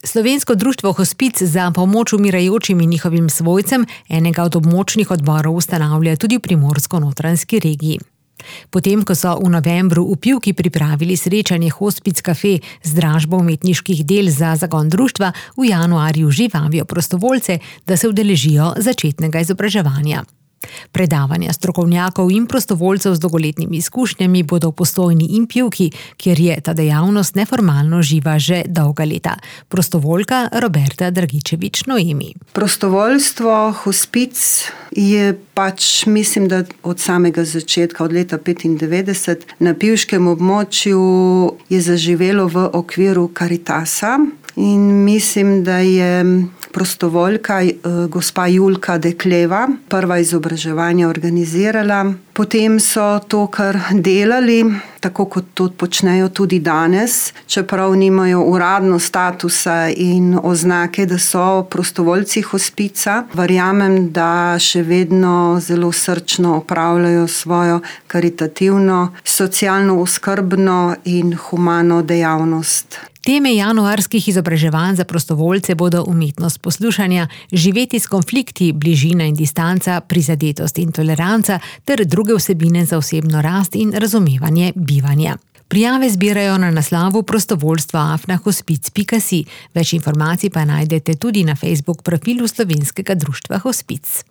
Slovensko društvo Hospic za pomoč umirajočim in njihovim svojcem enega od območnih odborov ustanavlja tudi v Primorsko-notranjski regiji. Potem, ko so v novembru v Pivki pripravili srečanje Hospic Cafe z dražbo umetniških del za zagon društva, v januarju že vabijo prostovoljce, da se udeležijo začetnega izobraževanja. Predavanja strokovnjakov in prostovoljcev z dolgoletnimi izkušnjami bodo v Postojni in Pivki, kjer je ta dejavnost neformalno živa že dolga leta. Prostovoljka Roberta Dragičević-Noemi. Prostovoljstvo Hospic je mislim, da od samega začetka, od leta 1995, na pivškem območju je zaživelo v okviru Karitasa in mislim, da je prostovoljka gospa Julka Dekleva prva izobraževanja organizirala. Potem so to kar delali, tako kot to počnejo tudi danes, čeprav nimajo uradno statusa in oznake, da so prostovoljci Hospica. Verjamem, da še vedno zelo srčno opravljajo svojo karitativno, socialno oskrbno in humano dejavnost. Teme januarskih izobraževanj za prostovoljce bodo umetnost poslušanja, živeti s konflikti, bližina in distanca, prizadetost in toleranca ter druge vsebine za osebno rast in razumevanje bivanja. Prijave zbirajo na naslovu prostovoljstva@hospic.si. Več informacij pa najdete tudi na Facebook profilu Slovenskega društva Hospic.